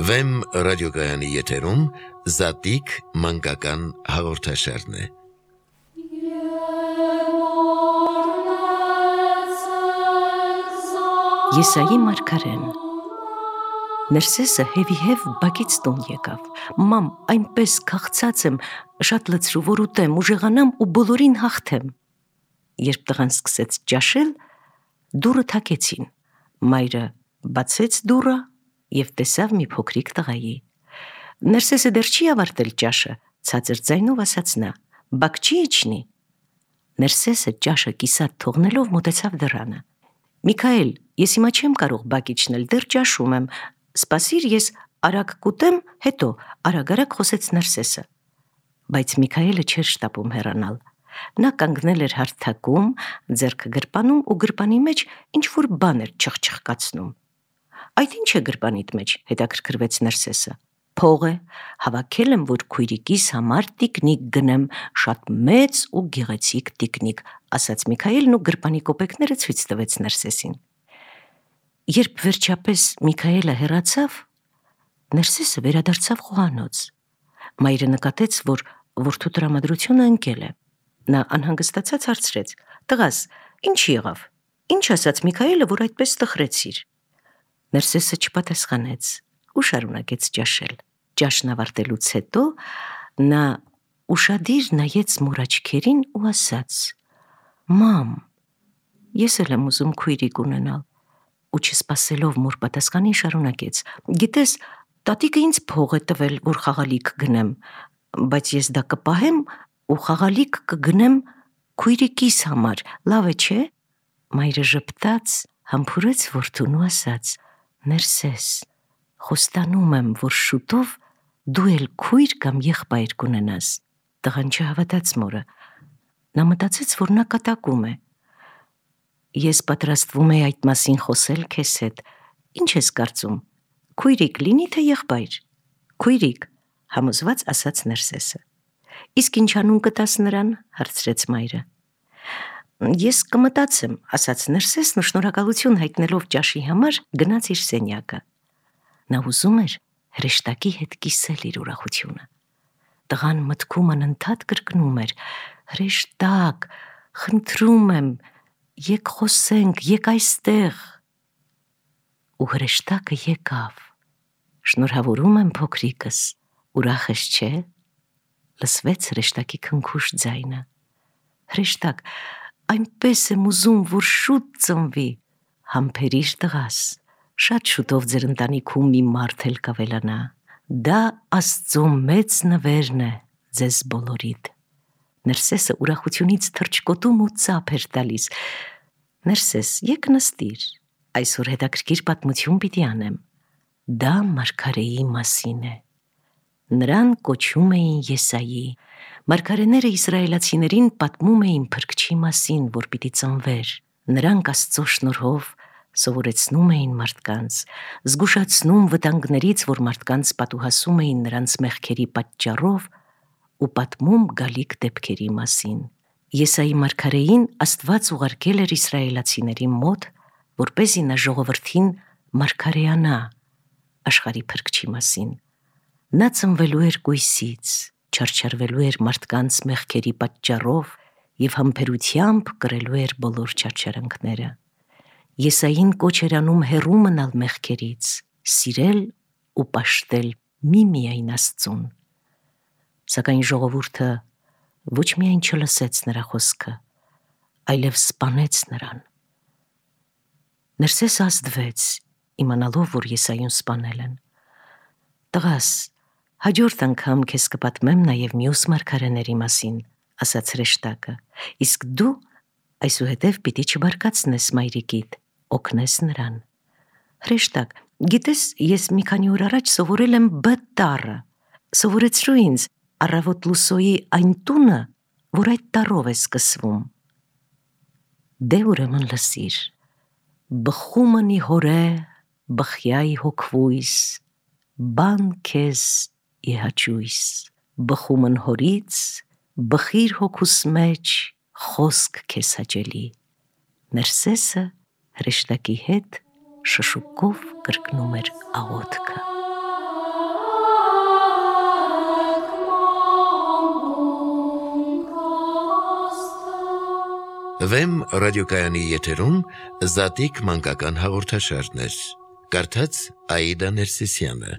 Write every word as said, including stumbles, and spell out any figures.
Վեմ ռադիոգայանի եթերում Զատիկ մանկական հաղորդաշարն է։ Եսայի մարգարեն Ներսեսը հևի-հև բակից տուն եկավ. «Մամ, այնպես քաղցած եմ, շատ լցրու, որ ուտեմ, ուժեղանամ ու բոլորին հաղթեմ»։ Երբ տղան սկսեց ճաշել, դուռը թակեցին։ Մայրը բացեց դուռը և տեսավ մի փոքրիկ տղայի։ «Ներսեսը դեռ չի ավարտել ճաշը», ցածր ձայնով ասաց նա, «բակ չի իջնի»։ Ներսեսը ճաշը կիսատ թողնելով մոտեցավ դռանը։ «Միքայել, ես հիմա չեմ կարող բակ իջնել, դեռ ճաշում եմ, սպասիր, ես արագ կուտեմ, հետո», արագ-արագ խոսեց Ներսեսը։ Բայց Միքայելը չէր շտապում հեռանալ։ Նա կանգնել էր հարթակում, ձեռքը գրպանում ու գրպանի մեջ ինչ-որ բան էր չխչխկացնում։ «Այդ ի՞նչ է գրպանիդ մեջ», հետաքրքրվեց Ներսեսը։ «Փող է, հավաքել եմ, որ քույրիկիս համար տիկնիկ գնեմ, շատ մեծ ու գեղեցիկ տիկնիկ», ասաց Միքայելն ու գրպանի կոպեկները ցույց տվեց Ներսեսին։ Երբ վերջապես Միքայելը հեռացավ, Ներսեսը վերադարձավ խոհանոց։ Մայրը նկատեց, որ որդու տրամադրությունը ընկել է։ Նա անհանգստացած հարցրեց. «Տղաս, ի՞նչ եղավ, ի՞նչ ասաց Միքայելը, որ այդպես տխրեցիր»։ Ներսեսը չպատասխանեց ու շարունակեց ճաշել։ Ճաշն ավարտելուց հետո նա ուշադիր նայեց մոր աչքերին ու ասաց. «Մամ, ես էլ եմ ուզում քույրիկ ունենալ», ու չսպասելով մոր պատասխանին շարունակեց. «Գիտես, տատիկը ինձ փող է տվել, որ խաղալիք գնեմ, բայց ես դա կպահեմ ու խաղալիք կգնեմ քույրիկիս համար, լավ է, չէ»։ Մայրը ժպտաց, համբուրեց որդուն ու ասաց. «Ներսես, խոստանում եմ, որ շուտով դու էլ քույր կամ եղբայր կունենաս»։ Տղան չհավատաց մորը։ Նա մտածեց, որ նա կատակում է։ «Ես պատրաստվում էի այդ մասին խոսել քեզ հետ, ի՞նչ ես կարծում, քույրիկ լինի թե եղբայր»։ «Քույրիկ», համոզված ասաց Ներսեսը։ «Իսկ ինչ անուն կտաս նրան», հարցրեց մայրը։ «Ես կմտածեմ», ասաց Ներսեսն ու շնորհակալություն հայտնելով ճաշի համար գնաց իր սենյակը։ Նա ուզում էր հրեշտակի հետ կիսել իր ուրախությունը։ Տղան մտքում անընդհատ կրկնում էր. «Հրեշտակ, խնդրում եմ, եկ խոսենք, եկ այստեղ»։ Ու հրեշտակը եկավ։ «Շնորհավորում եմ, փոքրիկս, ուրախ ես, չէ՞», լսվեց հրեշտակի քնքուշ ձայնը։ «Հրեշտակ, այնպես եմ ուզում, որ շուտ ծնվի», «Համբերիր, տղաս, շատ շուտով ձեր ընտանիքում մի մարդ էլ կավելանա, դա Աստծո մեծ նվերն է ձեզ բոլորիդ»։ Ներսեսը ուրախությունից թռչկոտում ու ծափ էր տալիս։ «Ներսես, եկ նստիր, այսօր հետաքրքիր պատմություն պիտի անեմ։ Դա մարգարեի մասին է։ Նրան կոչում էին Եսայի։ Մարգարեները իսրայելացիներին պատմում էին Փրկչի մասին, որ պիտի ծնվեր։ Նրանք Աստծո շնորհով սովորեցնում էին մարդկանց, զգուշացնում վտանգներից, որ մարդկանց պատուհասում էին նրանց մեղքերի պատճառով, ու պատմում գալիք դեպքերի մասին։ Եսայի մարգարեին Աստված ուղարկել էր իսրայելացիների մոտ, որպեսզի նա ժողովրդին մարգարեանա աշխարհի Փրկչի մասին։ Նա ծնվելու էր կույսից, չարչարվելու էր մարդկանց մեղքերի պատճառով և համբերությամբ կրելու էր բոլոր չարչարանքները։ Եսային կոչ էր անում հեռու մնալ մեղքերից, սիրել ու պաշտել միմիայն Աստծուն։ Սակայն ժողովուրդը ոչ միայն չլսեց նրա խոսքը, այլև սպանեց նրան։ Ներսեսը ազդվեց, իմանալով, որ Եսայուն սպանել են։ «Տղաս, հաջորդ անգամ քեզ կպատմեմ նաև մյուս մարգարեների մասին», ասաց հրեշտակը, «իսկ դու այսուհետև պիտի չբարկացնես մայրիկիդ, օգնես նրան»։ «Հրեշտակ, գիտես, ես մի քանի օր առաջ սովորել եմ Բ տառը, սովորեցրու ինձ առավոտ լուսոյի այն տունը, որ այդ տառով է սկսվում»։ «Դե ուրեմն լսիր. բխումնի հորե, բխյայի հոգվույս, բան քեզ իհաճույս, բխումն հորից, բխիր հոգուս մեջ, խոսք քեզ հաճելի»։ Ներսեսը հրեշտակի հետ շշուկով կրկնում էր աղոթքը։ Վեմ ռադիոկայանի եթերում Զատիկ մանկական հաղորդաշարներ։ Կարդաց Աիդա Ներսիսյանը։